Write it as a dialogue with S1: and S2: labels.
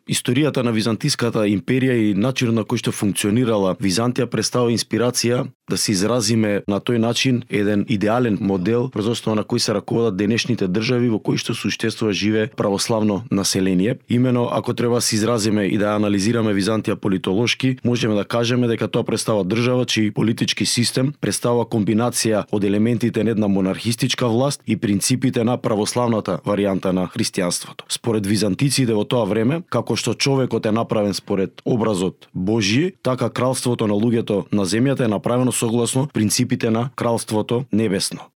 S1: Историјата на Византиската империја и начинот на кој што функционирала Византија представува инспирација да се изразиме на тој начин еден идеален модел врз основа на кој се раководат денешните држави во кои што суштествува живее православно население. Имено ако треба да се изразиме и да анализираме Византија политолошки, можеме да кажеме дека тоа представува држава чиј политички систем представува комбинација од елементите на една монархистичка власт и принципите на православната варијанта на христијанството. Според византиците во тоа време, како што човекот е направен според образот Божји, така кралството на луѓето на земјата е направено согласно принципите на кралството небесно.